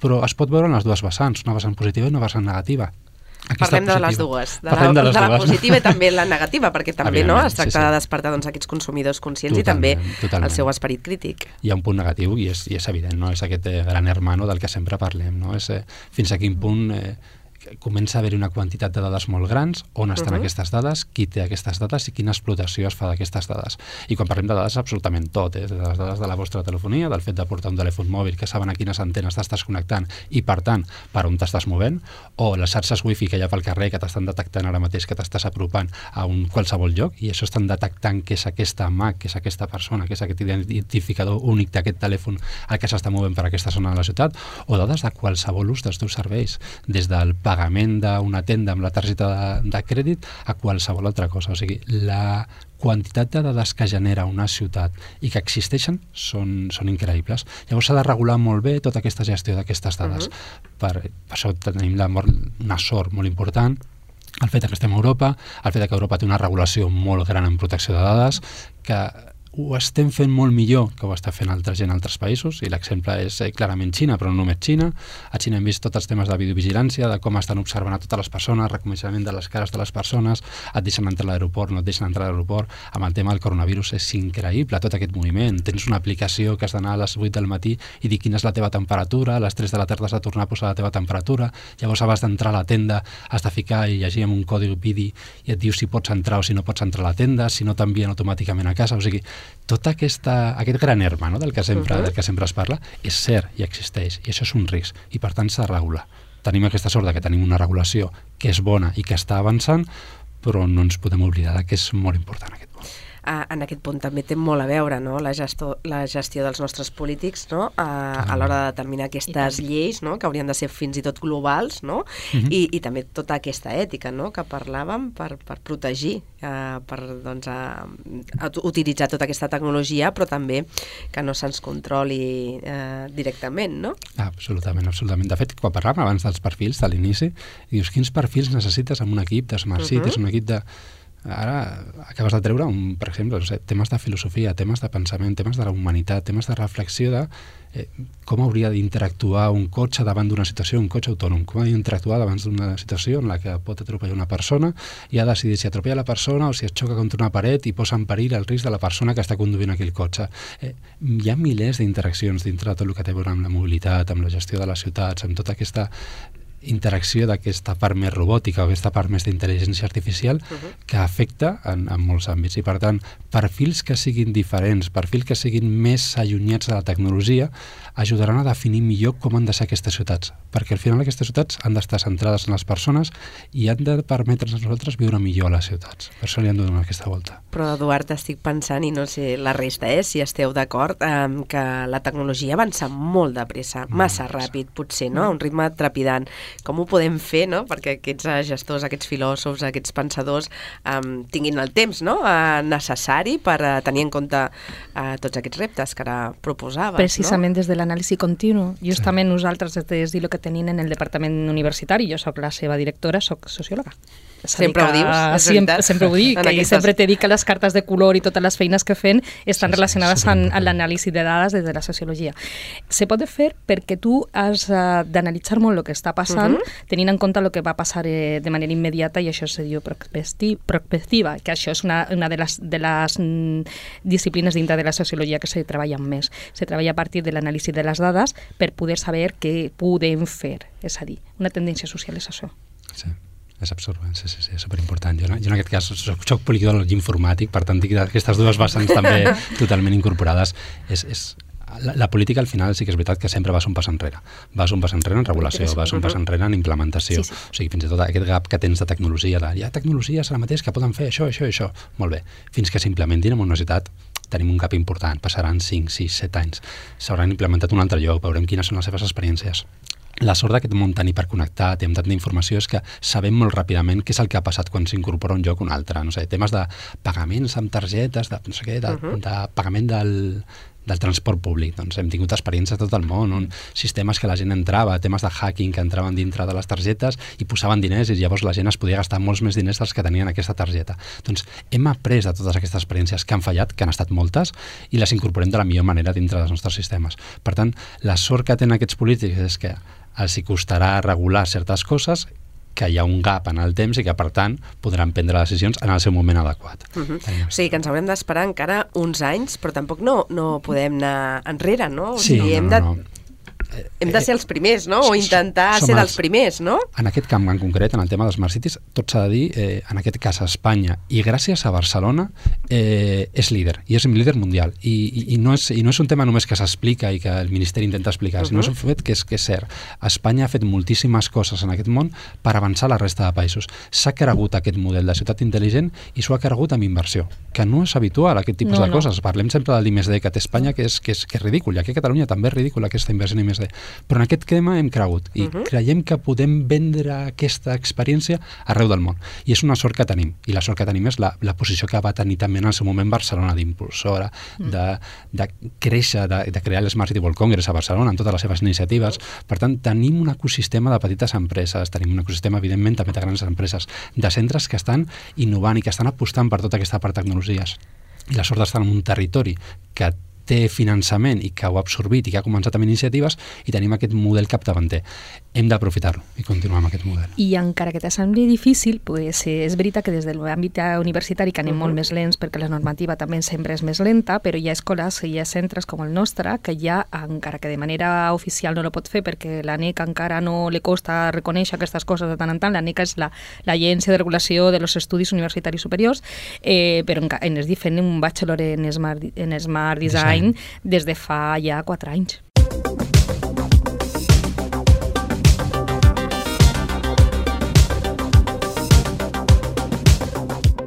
però es pot veure en les dues vessants, una vessant positiva i una vessant negativa. Aquesta Parlem positiva. de les dues, de, Parlem la, de, les de la dues. positiva i també la negativa, perquè també no es tracta sí, sí. de despertar doncs, aquests consumidors conscients Totalment, i també totalment. el seu esperit crític. Hi ha un punt negatiu i és, i és evident, no? És aquest eh, gran hermano del que sempre parlem, no? És eh, fins a quin punt eh, comença a haver una quantitat de dades molt grans, on estan uh-huh. aquestes dades, qui té aquestes dades i quina explotació es fa d'aquestes dades. I quan parlem de dades, absolutament tot, eh? De les dades de la vostra telefonia, del fet de portar un telèfon mòbil, que saben a quines antenes t'estàs connectant i, per tant, per on t'estàs movent, o les xarxes wifi que hi ha pel carrer que t'estan detectant ara mateix que t'estàs apropant a un qualsevol lloc, i això estan detectant que és aquesta M A C, que és aquesta persona, que és aquest identificador únic d'aquest telèfon el que s'està movent per aquesta zona de la ciutat, o dades de qualsevol ús dels teus serveis, des del pagament d'una tenda amb la targeta de, de crèdit a qualsevol altra cosa. O sigui, la quantitat de dades que genera una ciutat i que existeixen són, són increïbles. Llavors s'ha de regular molt bé tota aquesta gestió d'aquestes dades. Uh-huh. per, per això tenim la, una sort molt important, el fet que estem a Europa, el fet que Europa té una regulació molt gran en protecció de dades, que ho estem fent molt millor que ho està fent altra gent a altres països, i l'exemple és eh, clarament Xina, però no només Xina. A Xina hem vist tots els temes de videovigilància, de com estan observant a totes les persones, reconeixement de les cares de les persones, et deixen entrar a l'aeroport, no et deixen entrar a l'aeroport. Amb el tema del coronavirus és increïble tot aquest moviment. Tens una aplicació que has d'anar a les vuit del matí i dir quina és la teva temperatura, a les tres de la tarda has de tornar a posar la teva temperatura, llavors abans d'entrar a la tenda has de ficar i llegir amb un codi vidi i et diu si pots entrar o si no pots entrar a la tenda, si no t'envien automàticament a casa. O sigui, tot aquesta, aquest gran herma, no?, del que sempre, uh-huh. del que sempre es parla, és cert i existeix, i això és un risc, i per tant s'ha de regular. Tenim aquesta sort de que tenim una regulació que és bona i que està avançant, però no ens podem oblidar que és molt important aquest punt. uh, en aquest punt també té molt a veure, no?, la, gesto, la gestió dels nostres polítics, no?, uh, a l'hora de determinar aquestes lleis, no?, que haurien de ser fins i tot globals, no?, uh-huh. I, i també tota aquesta ètica, no?, que parlàvem per, per protegir, uh, per doncs, uh, utilitzar tota aquesta tecnologia, però també que no se'ns controli uh, directament, no? Absolutament, absolutament. De fet, quan parlàvem abans dels perfils de l'inici, dius, quins perfils necessites en un equip de Smart Cities, uh-huh. un equip de... Ara acabes de treure, un, per exemple, no sé, temes de filosofia, temes de pensament, temes de la humanitat, temes de reflexió de eh, com hauria d'interactuar un cotxe davant d'una situació, un cotxe autònom, com ha d'interactuar davant d'una situació en la que pot atropellar una persona i ha de decidir si atropella la persona o si es xoca contra una paret i posa en perill el risc de la persona que està conduint aquell cotxe. Eh, hi ha milers d'interaccions dintre de tot el que té a veure amb la mobilitat, amb la gestió de les ciutats, amb tota aquesta interacció d'aquesta part més robòtica o aquesta part més d'intel·ligència artificial uh-huh. que afecta en, en molts àmbits. I per tant, perfils que siguin diferents, perfils que siguin més allunyats de la tecnologia, ajudaran a definir millor com han de ser aquestes ciutats. Perquè al final aquestes ciutats han d'estar centrades en les persones i han de permetre'ns a nosaltres viure millor a les ciutats. Per això li han de donar aquesta volta. Però, Eduard, estic pensant, i no sé la resta, eh, si esteu d'acord, eh, que la tecnologia avança molt de pressa, massa ràpid, potser, no?, a un ritme trepidant. Com ho podem fer, no?, perquè aquests gestors, aquests filòsofs, aquests pensadors um, tinguin el temps, no?, uh, necessari per uh, tenir en compte uh, tots aquests reptes que ara proposaves, Precisament no? Des de l'anàlisi continu. Justament sí. Nosaltres, des de lo que tenim en el departament universitari, jo soc la seva directora, soc sociòloga. Sempre ho dius, és sempre, veritat. sempre ho dic, que aquestes... sempre t'he dit que les cartes de color i totes les feines que fem estan sí, relacionades sí, amb, amb l'anàlisi de dades des de la sociologia. Se pot fer perquè tu has uh, d'analitzar molt el que està passant, uh-huh. tenint en compte el que va passar eh, de manera immediata, i això se diu prospectiva, que això és una, una de les, de les mm, disciplines dintre de la sociologia que se treballa més. Se treballa a partir de l'anàlisi de les dades per poder saber què podem fer. És a dir, una tendència social és això. Sí. És absorbent, sí, sí, sí, és superimportant. Jo, jo en aquest cas soc, soc poliglot informàtic, per tant tinc aquestes dues vessants també totalment incorporades. És, és, la, la política al final sí que és veritat que sempre vas un pas enrere. Vas un pas enrere en regulació, vas un pas enrere en implementació. Sí, sí. O sigui, fins i tot aquest gap que tens de tecnologia, de, hi ha tecnologies ara mateix que poden fer això, això i això. Molt bé. Fins que s'implementin en una universitat tenim un gap important, passaran cinc, sis, set anys. S'hauran implementat un altre lloc, veurem quines són les seves experiències. La sort d'aquest món tan hiperconnectat i amb tanta informació és que sabem molt ràpidament què és el que ha passat quan s'incorpora un lloc o un altre. No sé, temes de pagaments amb targetes, de, no sé què, de, uh-huh. de pagament del, del transport públic. Doncs hem tingut experiències a tot el món, on sistemes que la gent entrava, temes de hacking que entraven dintre de les targetes i posaven diners i llavors la gent es podia gastar molts més diners dels que tenien aquesta targeta. Doncs hem après de totes aquestes experiències que han fallat, que han estat moltes, i les incorporem de la millor manera dintre dels nostres sistemes. Per tant, la sort que tenen aquests polítics és que els hi costarà regular certes coses, que hi ha un gap en el temps i que, per tant, podran prendre decisions en el seu moment adequat. Uh-huh. O sigui, que ens haurem d'esperar encara uns anys, però tampoc no, no podem anar enrere, no? O sí, sigui, no, hem no, de... no. Hem de ser els primers, no? O intentar ser dels primers, no? En aquest camp en concret, en el tema dels Smart Cities, tot s'ha de dir, eh, en aquest cas a Espanya, i gràcies a Barcelona, eh, és líder, i és un líder mundial. I, i, i, no és, I no és un tema només que s'explica i que el Ministeri intenta explicar, uh-huh. sinó és un fet que és, que és cert. Espanya ha fet moltíssimes coses en aquest món per avançar a la resta de països. S'ha cregut aquest model de ciutat intel·ligent i s'ho ha cregut amb inversió, que no és habitual, aquest tipus no, de no. coses. Parlem sempre del I més D que té Espanya, que és, que és, que és ridícul, i aquí a Catalunya també és ridícul aquesta inversió en I més D. Però en aquest tema hem cregut i uh-huh. creiem que podem vendre aquesta experiència arreu del món. I és una sort que tenim. I la sort que tenim és la, la posició que va tenir també en el seu moment Barcelona d'impulsora, uh-huh. de, de créixer, de, de crear l'Smart City World Congress a Barcelona amb totes les seves iniciatives. Per tant, tenim un ecosistema de petites empreses, tenim un ecosistema, evidentment, també de grans empreses, de centres que estan innovant i que estan apostant per tota aquesta part de tecnologies. I la sort d'estar en un territori que té finançament i que ho ha absorbit i que ha començat amb iniciatives i tenim aquest model capdavanter. Hem d'aprofitar-lo i continuar amb aquest model. I encara que t'assembli difícil, pues, és veritat que des de l'àmbit universitari que anem uh-huh. molt més lents perquè la normativa també sempre és més lenta, però hi ha escoles, hi ha centres com el nostre que ja, encara que de manera oficial no lo pot fer perquè l'ANEC encara no li costa reconèixer aquestes coses de tant en tant, l'ANEC és l'Agència de Regulació de los Estudis Universitaris Superiors, eh, però en es fent un bachelor en Smart, en Smart Design, Design des de fa ja quatre anys.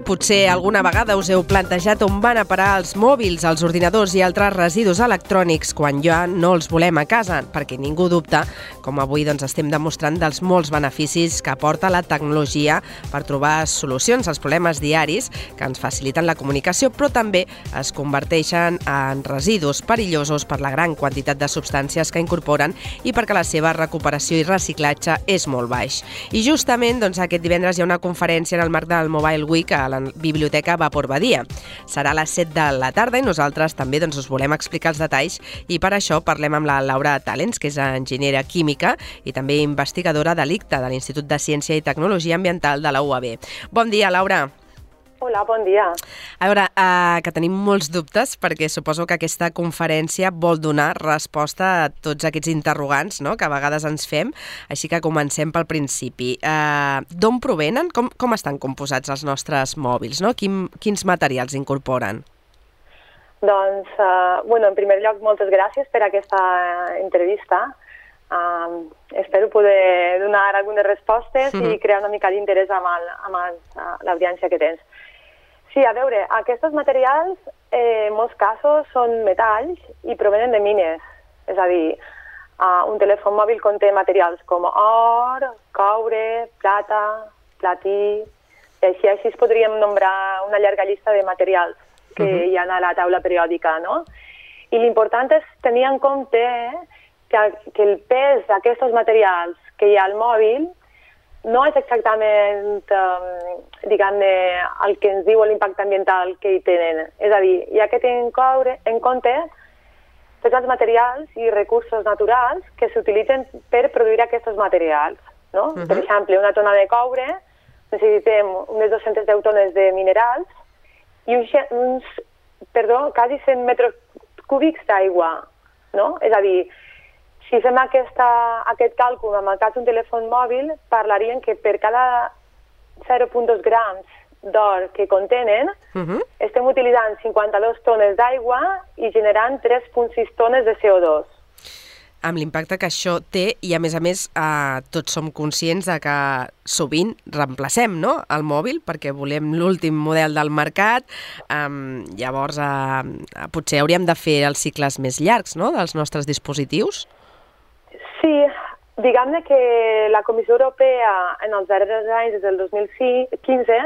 Potser alguna vegada us heu plantejat on van a parar els mòbils, els ordinadors i altres residus electrònics quan ja no els volem a casa, perquè ningú dubta, com avui doncs, estem demostrant, dels molts beneficis que aporta la tecnologia per trobar solucions als problemes diaris que ens faciliten la comunicació, però també es converteixen en residus perillosos per la gran quantitat de substàncies que incorporen i perquè la seva recuperació i reciclatge és molt baix. I justament doncs, aquest divendres hi ha una conferència en el marc del Mobile Week a la Biblioteca Vapor Badia. Serà a les set de la tarda i nosaltres també doncs, us volem explicar els detalls i per això parlem amb la Laura Talens, que és enginyera química i també investigadora de l'I C T A, de l'Institut de Ciència i Tecnologia Ambiental de la U A B. Bon dia, Laura. Hola, bon dia. A veure, eh, que tenim molts dubtes perquè suposo que aquesta conferència vol donar resposta a tots aquests interrogants, no?, que a vegades ens fem, així que comencem pel principi. Eh, D'on provenen? Com, com estan composats els nostres mòbils, no? Quin, quins materials incorporen? Doncs, eh, bueno, en primer lloc, moltes gràcies per aquesta entrevista. Eh, espero poder donar algunes respostes mm-hmm. i crear una mica d'interès amb, el, amb el, l'audiència que tens. Sí, a veure, aquests materials, eh, en molts casos, són metalls i provenen de mines. És a dir, uh, un telèfon mòbil conté materials com or, coure, plata, platí... I així, així es podríem nombrar una llarga llista de materials que uh-huh. hi ha a la taula periòdica, no? I l'important és tenir en compte que, que el pes d'aquests materials que hi ha al mòbil no és exactament, eh, diguem-ne, el que ens diu l'impacte ambiental que hi tenen. És a dir, hi ha que tenir en compte tots els materials i recursos naturals que s'utilitzen per produir aquests materials. No? Uh-huh. Per exemple, una tona de coure, necessitem unes dues-centes deu tones de minerals i uns, uns perdó, quasi cent metres cúbics d'aigua. No? És a dir, si fem aquesta, aquest càlcul amb el cas d'un telèfon mòbil, parlarien que per cada zero coma dos grams d'or que contenen, uh-huh. estem utilitzant cinquanta-dues tones d'aigua i generant tres coma sis tones de C O dos. Amb l'impacte que això té, i a més a més eh, tots som conscients de que sovint reemplacem, no?, el mòbil perquè volem l'últim model del mercat, eh, llavors eh, potser hauríem de fer els cicles més llargs, no?, dels nostres dispositius? Sí, diguem-ne que la Comissió Europea en els darrers anys, des del dos mil quinze,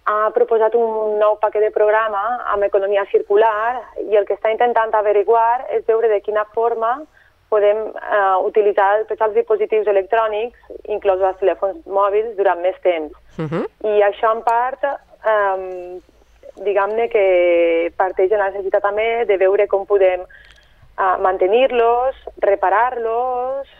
ha proposat un nou paquet de programa amb economia circular i el que està intentant averiguar és veure de quina forma podem uh, utilitzar tots els dispositius electrònics, inclòs els telèfons mòbils, durant més temps. Uh-huh. I això, en part, um, diguem-ne que parteix de la necessitat també de veure com podem uh, mantenir-los, reparar-los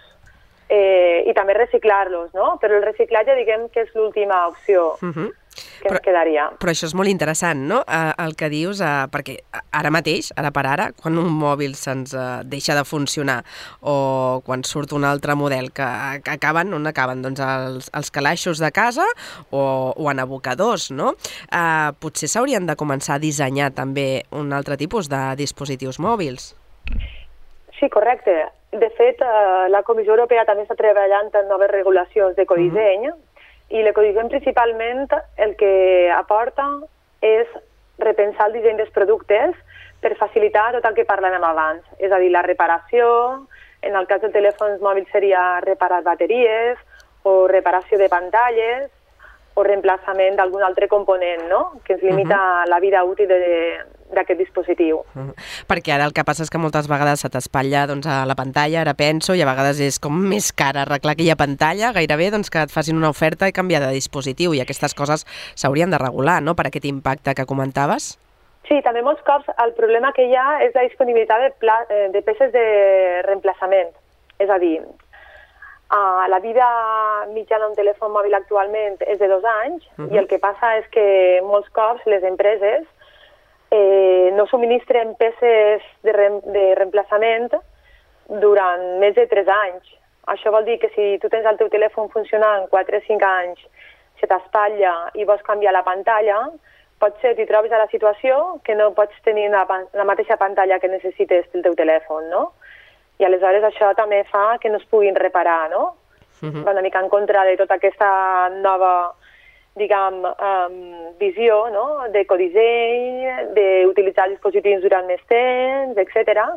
eh, i també reciclar-los, no? Però el reciclatge, diguem que és l'última opció. Uh-huh. Que però, ens quedaria. Però això és molt interessant, no?, eh, el que dius, eh, perquè ara mateix, ara per ara, quan un mòbil se'ns eh, deixa de funcionar o quan surt un altre model que, que acaben, on acaben? Doncs els, els calaixos de casa o, o en abocadors, no? Eh, potser s'haurien de començar a dissenyar també un altre tipus de dispositius mòbils. Sí, correcte. De fet, eh, la Comissió Europea també està treballant en noves regulacions d'ecodisseny, mm-hmm. i l'ecodisseny principalment el que aporta és repensar el disseny dels productes per facilitar tot el que parlàvem abans. És a dir, la reparació, en el cas dels telèfons mòbils seria reparar bateries o reparació de pantalles o reemplaçament d'algun altre component, no?, que ens limita uh-huh. la vida útil d'aquest dispositiu. Uh-huh. Perquè ara el que passa és que moltes vegades se t'espatlla doncs, a la pantalla, ara penso, i a vegades és com més car arreglar aquella pantalla, gairebé doncs, que et facin una oferta i canviar de dispositiu, i aquestes coses s'haurien de regular, no?, per aquest impacte que comentaves. Sí, també molts cops el problema que hi ha és la disponibilitat de, pla, de peces de reemplaçament. És a dir, Uh, la vida mitjana d'un telèfon mòbil actualment és de dos anys uh-huh. i el que passa és que molts cops les empreses eh, no subministren peces de, re de reemplaçament durant més de tres anys. Això vol dir que si tu tens el teu telèfon funcionant quatre o cinc anys, se t'espatlla i vols canviar la pantalla, potser t'hi trobes a la situació que no pots tenir la, la mateixa pantalla que necessites del teu telèfon, no? I aleshores això també fa que no es puguin reparar, no? Uh-huh. Va una mica en contra de tota aquesta nova diguem, um, visió, no?, d'ecodisseny, d'utilitzar dispositius durant més temps, etcètera,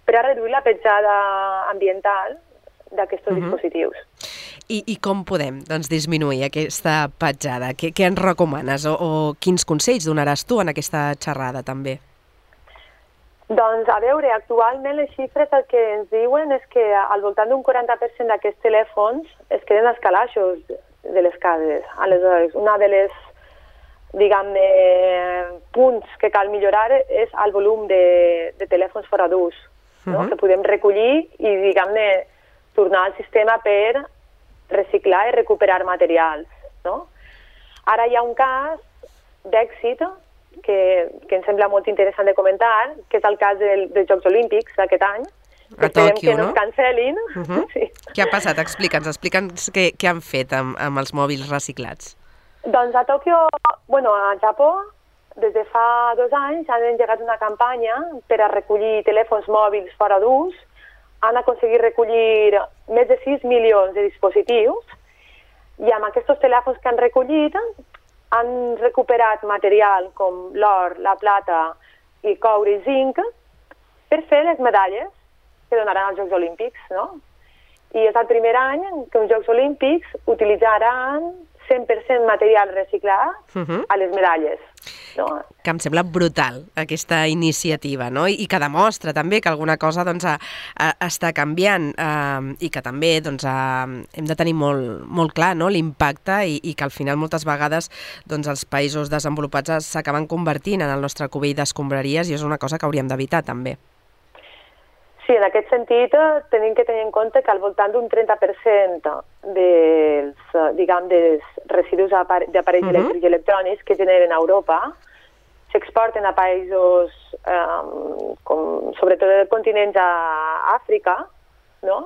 per a reduir la petjada ambiental d'aquests uh-huh. dispositius. I, I com podem doncs, disminuir aquesta petjada? Què, què ens recomanes o, o quins consells donaràs tu en aquesta xerrada també? Doncs, a veure, actualment les xifres el que ens diuen és que al voltant d'un quaranta per cent d'aquests telèfons es queden als calaixos de les cases. Aleshores, una de les, diguem-ne, punts que cal millorar és el volum de, de telèfons fora d'ús, no? Uh-huh. Que podem recollir i, diguem-ne, tornar al sistema per reciclar i recuperar materials, no? Ara hi ha un cas d'èxit que, que em sembla molt interessant de comentar, que és el cas del, dels Jocs Olímpics d'aquest any. A Tòquio, que no? es cancel·lin. Uh-huh. Sí. Què ha passat? Explica'ns, explica'ns què, què han fet amb, amb els mòbils reciclats. Doncs a Tòquio, bueno, a Japó, des de fa dos anys han engegat una campanya per a recollir telèfons mòbils fora d'ús. Han aconseguit recollir més de sis milions de dispositius i amb aquests telèfons que han recollit han recuperat material com l'or, la plata i coure i zinc per fer les medalles que donaran als Jocs Olímpics, no? I és el primer any que els Jocs Olímpics utilitzaran cent per cent material reciclat uh-huh. a les medalles. No? Que em sembla brutal, aquesta iniciativa, no? I, i que demostra també que alguna cosa doncs, a, a, està canviant eh, i que també doncs, a, hem de tenir molt, molt clar, no? L'impacte i, i que al final moltes vegades doncs, els països desenvolupats s'acaben convertint en el nostre cubell d'escombraries i és una cosa que hauríem d'evitar també. Sí, en aquest sentit tenim que tenir en compte que al voltant d'un trenta per cent dels, diguem, dels residus d'aparells uh-huh. elèctrics i electrònics que generen a Europa s'exporten a països, eh, com, sobretot dels continents a Àfrica, no?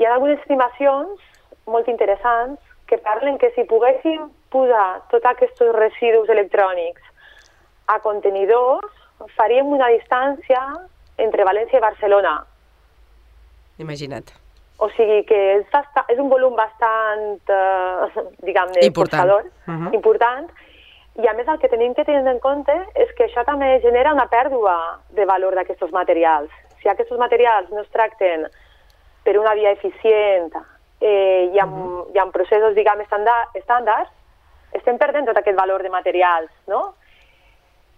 Hi ha algunes estimacions molt interessants que parlen que si poguéssim posar tots aquests residus electrònics a contenidors, faríem una distància entre València i Barcelona. Imagina't. O sigui que és, bastant, és un volum bastant, eh, diguem-ne, important. Uh-huh. important. I a més el que tenim que tenir en compte és que això també genera una pèrdua de valor d'aquests materials. Si aquests materials no es tracten per una via eficient eh, i, amb, uh-huh. i amb processos, diguem, estàndards, estem perdent tot aquest valor de materials, no?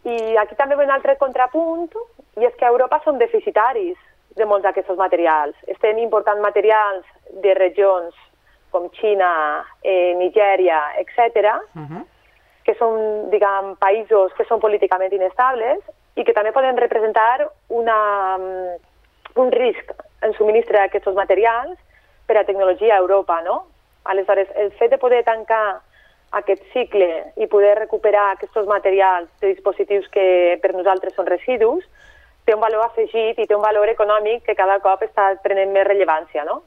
I aquí també ve un altre contrapunt, i és que a Europa som deficitaris de molts d'aquests materials. Estem important materials de regions com Xina, eh, Nigèria, etcètera, uh-huh. que són, diguem, països que són políticament inestables i que també poden representar una, un risc en subministre d'aquests materials per a tecnologia a Europa, no? Aleshores, el fet de poder tancar aquest cicle i poder recuperar aquests materials de dispositius que per nosaltres són residus, té un valor afegit i té un valor econòmic que cada cop està prenent més rellevància, no?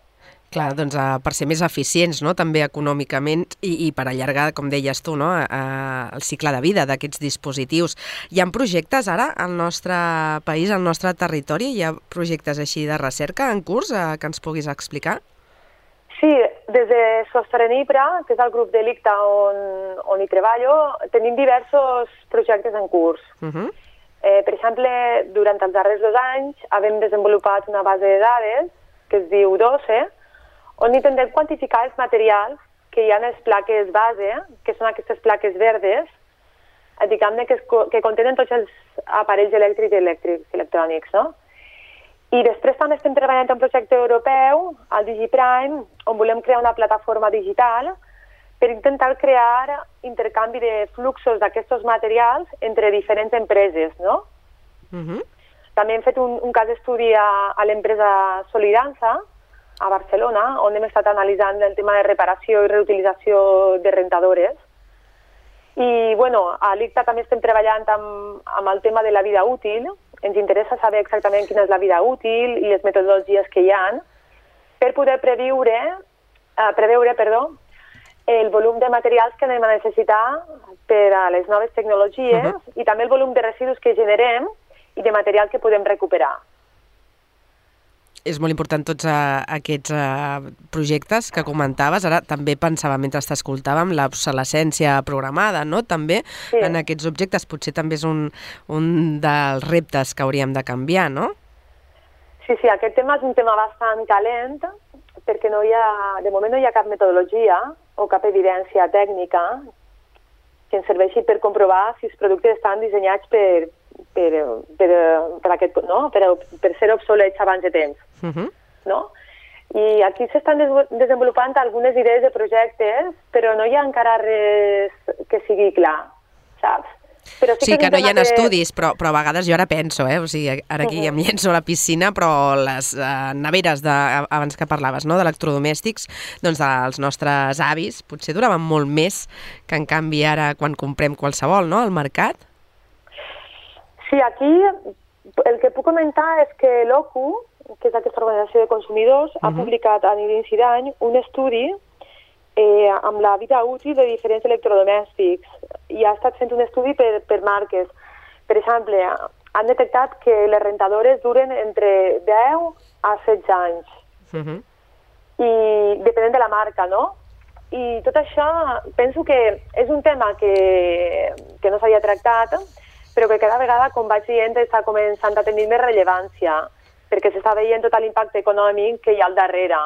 Clar, doncs uh, per ser més eficients, no?, també econòmicament i, i per allargar, com deies tu, no?, uh, el cicle de vida d'aquests dispositius. Hi ha projectes ara al nostre país, al nostre territori? Hi ha projectes així de recerca en curs uh, que ens puguis explicar? Sí, des de Sostenibra, que és el grup de l'I C T A on, on hi treballo, tenim diversos projectes en curs. Uh-huh. eh, per exemple, durant els darrers dos anys hem desenvolupat una base de dades que es diu doce, on intentem quantificar els materials que hi ha en les plaques base, que són aquestes plaques verdes, diguem-ne que, que contenen tots els aparells elèctrics i elèctrics, electrònics, no? I després també estem treballant en un projecte europeu, el DigiPrime, on volem crear una plataforma digital per intentar crear intercanvi de fluxos d'aquests materials entre diferents empreses, no? Uh-huh. També hem fet un, un cas d'estudi a, a l'empresa Solidança, a Barcelona, on hem estat analitzant el tema de reparació i reutilització de rentadores. I, bueno, a l'I C T A també estem treballant amb, amb el tema de la vida útil. Ens interessa saber exactament quina és la vida útil i les metodologies que hi ha per poder previure, eh, preveure perdó, el volum de materials que anem a necessitar per a les noves tecnologies uh-huh. i també el volum de residus que generem i de material que podem recuperar. és molt important tots uh, aquests uh, projectes que comentaves. Ara també pensava, mentre t'escoltàvem, l'obsolescència programada, no? També sí. En aquests objectes potser també és un, un dels reptes que hauríem de canviar, no? Sí, sí, aquest tema és un tema bastant calent perquè no hi ha, de moment no hi ha cap metodologia o cap evidència tècnica que ens serveixi per comprovar si els productes estan dissenyats per Per, per, per, aquest, no? per, per ser obsolets abans de temps. Uh-huh. No? I aquí s'estan des- desenvolupant algunes idees de projectes, però no hi ha encara res que sigui clar, saps? Però sí, sí que, que no hi ha que... estudis, però, però a vegades jo ara penso, eh? O sigui, ara aquí uh-huh. em llenço a la piscina, però les uh, neveres, de, abans que parlaves, no? d'electrodomèstics, doncs dels nostres avis, potser duraven molt més que en canvi ara quan comprem qualsevol, no?, al mercat. Sí, aquí el que puc comentar és que l'O C U, que és aquesta organització de consumidors, uh-huh. ha publicat a l'inici d'any un estudi eh, amb la vida útil de diferents electrodomèstics i ha estat fent un estudi per, per marques. Per exemple, han detectat que les rentadores duren entre deu a setze anys. Uh-huh. I depenent de la marca, no? I tot això penso que és un tema que, que no s'havia tractat, però que cada vegada, com vaig dient, està començant a tenir més rellevància, perquè s'està veient tot l'impacte econòmic que hi ha al darrere.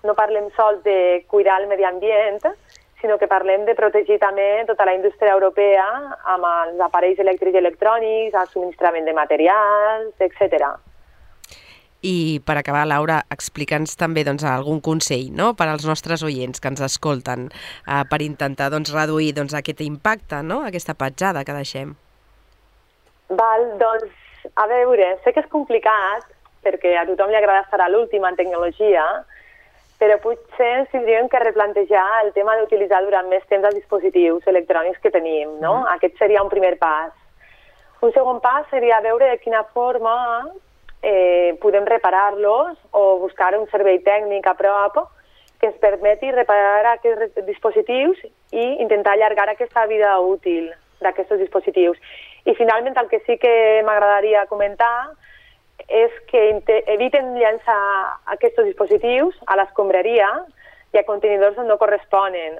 No parlem sols de cuidar el medi ambient, sinó que parlem de protegir també tota la indústria europea amb els aparells elèctrics i electrònics, el subministrament de materials, etcètera. I per acabar, Laura, explica'ns també doncs, algun consell, no?, per als nostres oients que ens escolten eh, per intentar doncs, reduir doncs, aquest impacte, no?, aquesta petjada que deixem. Val, doncs, a veure, sé que és complicat, perquè a tothom li agrada estar a l'última en tecnologia, però potser ens tindríem que replantejar el tema d'utilitzar durant més temps els dispositius electrònics que tenim, no? Mm. Aquest seria un primer pas. Un segon pas seria veure de quina forma eh, podem reparar-los o buscar un servei tècnic a prop que ens permeti reparar aquests dispositius i intentar allargar aquesta vida útil d'aquests dispositius. I finalment el que sí que m'agradaria comentar és que eviten llançar aquests dispositius a l'escombraria i a contenidors on no corresponen,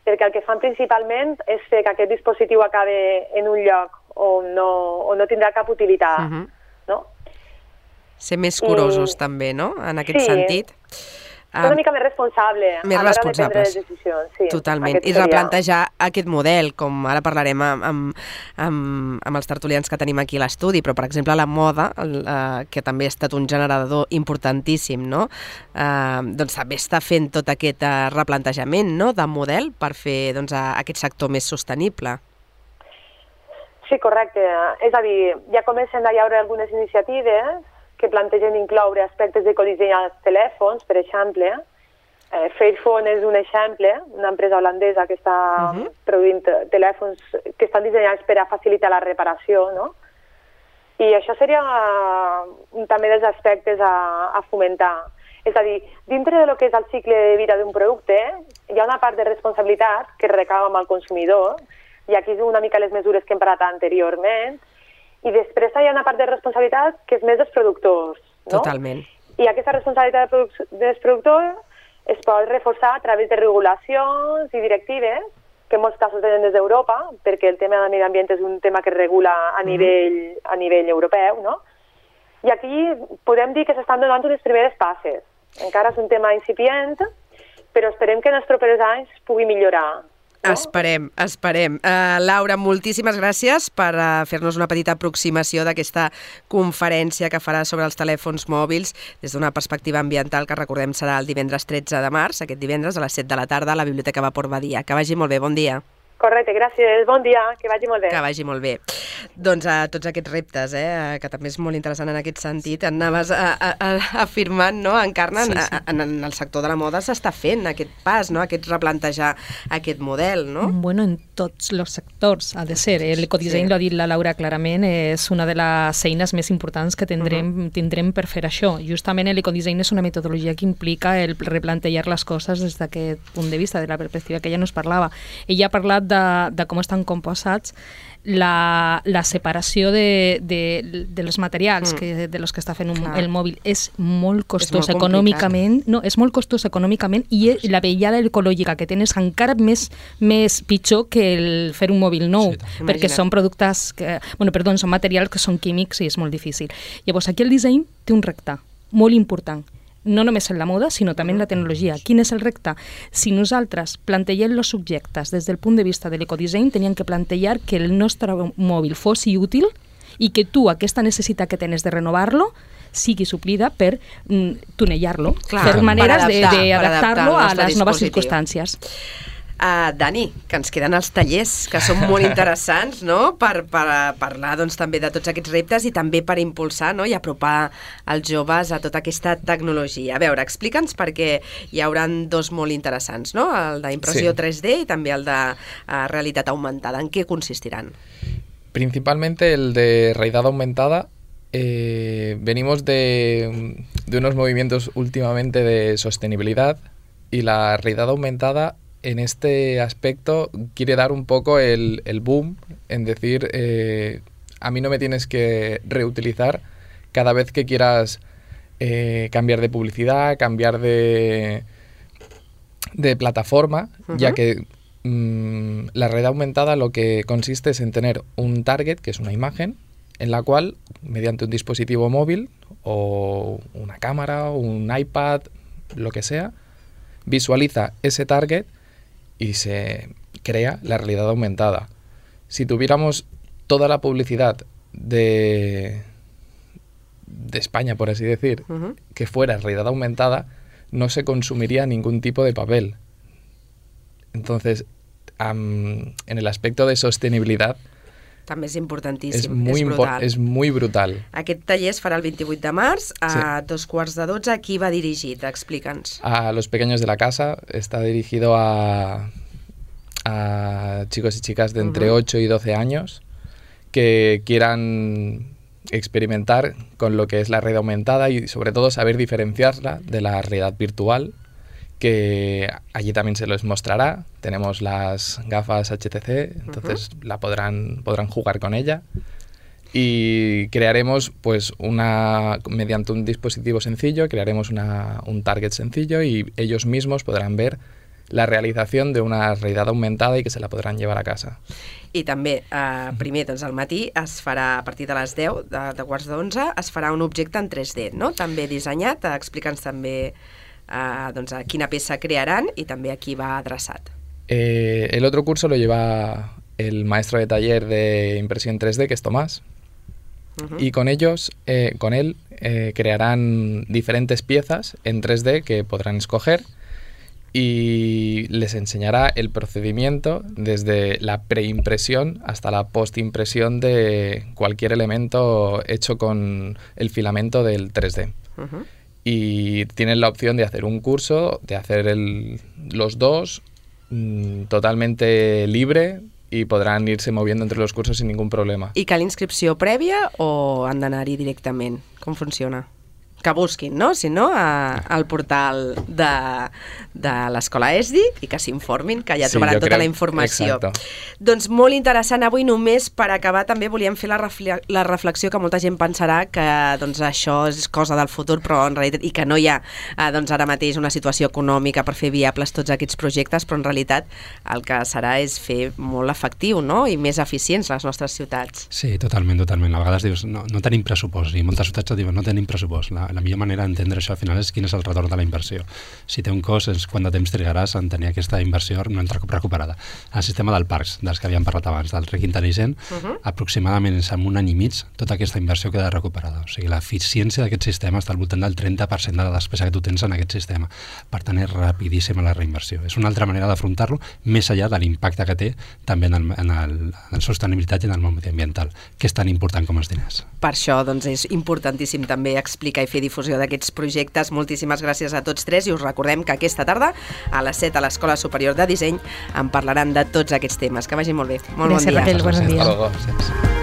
perquè el que fan principalment és fer que aquest dispositiu acabi en un lloc on no, on no tindrà cap utilitat. Uh-huh. No? Ser més curosos I... també, no?, en aquest sí. sentit. Um, una mica més responsable més a l'hora de prendre responsables. les decisions. Sí, totalment. I replantejar aquest model, com ara parlarem amb, amb, amb, amb els tertulians que tenim aquí a l'estudi, però, per exemple, la moda, el, eh, que també ha estat un generador importantíssim, no?, eh, doncs també està fent tot aquest eh, replantejament, no?, de model per fer doncs, a, aquest sector més sostenible. Sí, correcte. És a dir, ja comencen a hi haure algunes iniciatives que plantegen incloure aspectes d'ecodisseny als telèfons, per exemple. Eh, Fairphone és un exemple, una empresa holandesa que està uh-huh. produint telèfons que estan dissenyats per a facilitar la reparació, no? I això seria uh, també dels aspectes a, a fomentar. És a dir, dintre de lo que és el cicle de vida d'un producte, hi ha una part de responsabilitat que recau amb el consumidor, i aquí és una mica les mesures que hem parlat anteriorment, i després hi ha una part de responsabilitat que és més dels productors, no? Totalment. I aquesta responsabilitat dels productors es pot reforçar a través de regulacions i directives, que en molts casos venen des d'Europa, perquè el tema del medi ambient és un tema que es regula a nivell, mm. a nivell europeu, no? I aquí podem dir que s'estan donant unes primeres passes. Encara és un tema incipient, però esperem que en els propers anys pugui millorar. No? Esperem, esperem. Uh, Laura, moltíssimes gràcies per uh, fer-nos una petita aproximació d'aquesta conferència que farà sobre els telèfons mòbils des d'una perspectiva ambiental que, recordem, serà el divendres tretze de març, aquest divendres a les set de la tarda a la Biblioteca Vapor Badia. Que vagi molt bé, bon dia. Correcte, gràcies. Bon dia, que vagi molt bé. Que vagi molt bé. Doncs a tots aquests reptes, eh, que també és molt interessant en aquest sentit, anaves a, a, a, afirmant, no, Encarna, sí, sí. En, en el sector de la moda s'està fent aquest pas, no, aquest replantejar aquest model, no? Bueno, en tots els sectors ha de ser. El ecodisseny, sí. L'ha dit la Laura clarament, és una de les eines més importants que tindrem, uh-huh. tindrem per fer això. Justament l'ecodisseny és una metodologia que implica el replantejar les coses des d'aquest punt de vista, de la perspectiva que ella nos parlava. Ella ha parlat de, de com estan composats. La, la separació de, de, de els materials Mm. que, de los que està fent un, Clar. el mòbil és molt costós molt econòmicament, no, és molt costós econòmicament i la vellada ecològica que tens encara més, més pitjor que el fer un mòbil nou, Sí, tant. perquè Imagina't. són productes, que, bueno, perdó, són materials que són químics i és molt difícil. Llavors, aquí el disseny té un repte molt important, no només en la moda, sinó també en la tecnologia. Quin és el repte? Si nosaltres plantegem els subjectes des del punt de vista de l'ecodisseny, teníem que plantejar que el nostre mòbil fos útil i que tu, aquesta necessitat que tens de renovar-lo, sigui suplida per mm, tunejar-lo, Clar, per per maneres adaptar, per d'adaptar-lo adaptar a el nostre les noves dispositiu. circumstàncies. Uh, Dani, que ens queden els tallers, que són molt interessants, no?, per, per parlar doncs, també de tots aquests reptes i també per impulsar, no?, i apropar els joves a tota aquesta tecnologia. A veure, explica'ns, perquè hi haurà dos molt interessants, no?, el d'impressió Sí. tres D i també el de uh, realitat augmentada. En què consistiran? Principalmente el de realidad aumentada. Eh, venimos de, de unos movimientos últimamente de sostenibilidad y la realidad aumentada en este aspecto quiere dar un poco el, el boom en decir, eh, a mí no me tienes que reutilizar cada vez que quieras eh, cambiar de publicidad, cambiar de, de plataforma, Ujú. ya que mm, la realidad aumentada lo que consiste es en tener un target, que es una imagen, en la cual, mediante un dispositivo móvil o una cámara o un iPad, lo que sea, visualiza ese target y se crea la realidad aumentada. Si tuviéramos toda la publicidad de, de España, por así decir, Uh-huh. que fuera realidad aumentada, no se consumiría ningún tipo de papel. Entonces, am, en el aspecto de sostenibilidad, També és importantíssim, es muy, és impo- brutal. es muy brutal. Aquest taller es farà el vint-i-vuit de març a dos quarts de dotze. A qui va dirigit? Explica'ns. A los pequeños de la casa está dirigido a, a chicos y chicas de entre Ujú. ocho y doce años que quieran experimentar con lo que es la realidad aumentada y sobre todo saber diferenciarla de la realidad virtual, que allí también se les mostrará. Tenemos las gafas H T C, entonces la podrán, podrán jugar con ella. Y crearemos, pues, una mediante un dispositivo sencillo, crearemos una, un target sencillo y ellos mismos podrán ver la realització d'una realitat aumentada i que se la podran llevar a casa. I també, eh, primer, doncs, al matí es farà, a partir de les deu, de, de quarts d'onze, es farà un objecte en tres D, no?, també dissenyat. Explica'ns també eh, doncs, a quina peça crearan i també a qui va adreçat. Eh, el otro curso lo lleva el maestro de taller de impresión tres D, que es Tomás, Uh-huh. y con ellos, eh, con él, eh, crearán diferentes piezas en tres D que podrán escoger y les enseñará el procedimiento desde la preimpresión hasta la postimpresión de cualquier elemento hecho con el filamento del tres D. Uh-huh. Y tienen la opción de hacer un curso, de hacer el, los dos mmm, totalmente libre y podran irse moviendo entre los cursos sin ningún problema. I cal inscripció prèvia o han d'anar-hi directament? Com funciona? Que busquin, no? Si no, a, al portal de, de l'Escola E S D I i que s'informin, que ja Sí, trobaran jo tota crec- la informació. exacto. Doncs molt interessant. Avui només per acabar també volíem fer la, refle la reflexió que molta gent pensarà que doncs, això és cosa del futur, però en realitat, i que no hi ha eh, doncs, ara mateix una situació econòmica per fer viables tots aquests projectes, però en realitat el que serà és fer molt efectiu, no?, i més eficients les nostres ciutats. Sí, totalment, totalment. A vegades dius, no, no tenim pressupost, i moltes ciutats et diuen, no tenim pressupost. La, la millor manera d'entendre això al final és quin és el retorn de la inversió. Si té un cost, és quant de temps trigaràs en tenir aquesta inversió no recuperada. El sistema del parcs, dels que havíem parlat abans, del rec intel·ligent, Uh-huh. aproximadament en un any i mig tota aquesta inversió queda recuperada. O sigui, l'eficiència d'aquest sistema està al voltant del trenta per cent de la despesa que tu tens en aquest sistema. Per tant, és rapidíssima la reinversió. És una altra manera d'afrontar-lo, més enllà de l'impacte que té també en, el, en, el, en la sostenibilitat i en el món mediambiental, que és tan important com els diners. Per això doncs, és importantíssim també explicar i fer difusió d'aquests projectes. Moltíssimes gràcies a tots tres i us recordem que aquesta tarda a les set a l'Escola Superior de Disseny en parlaran de tots aquests temes. Que vagi molt bé. Molt Gràcies, bon dia. Raquel, bon dia. Hasta luego.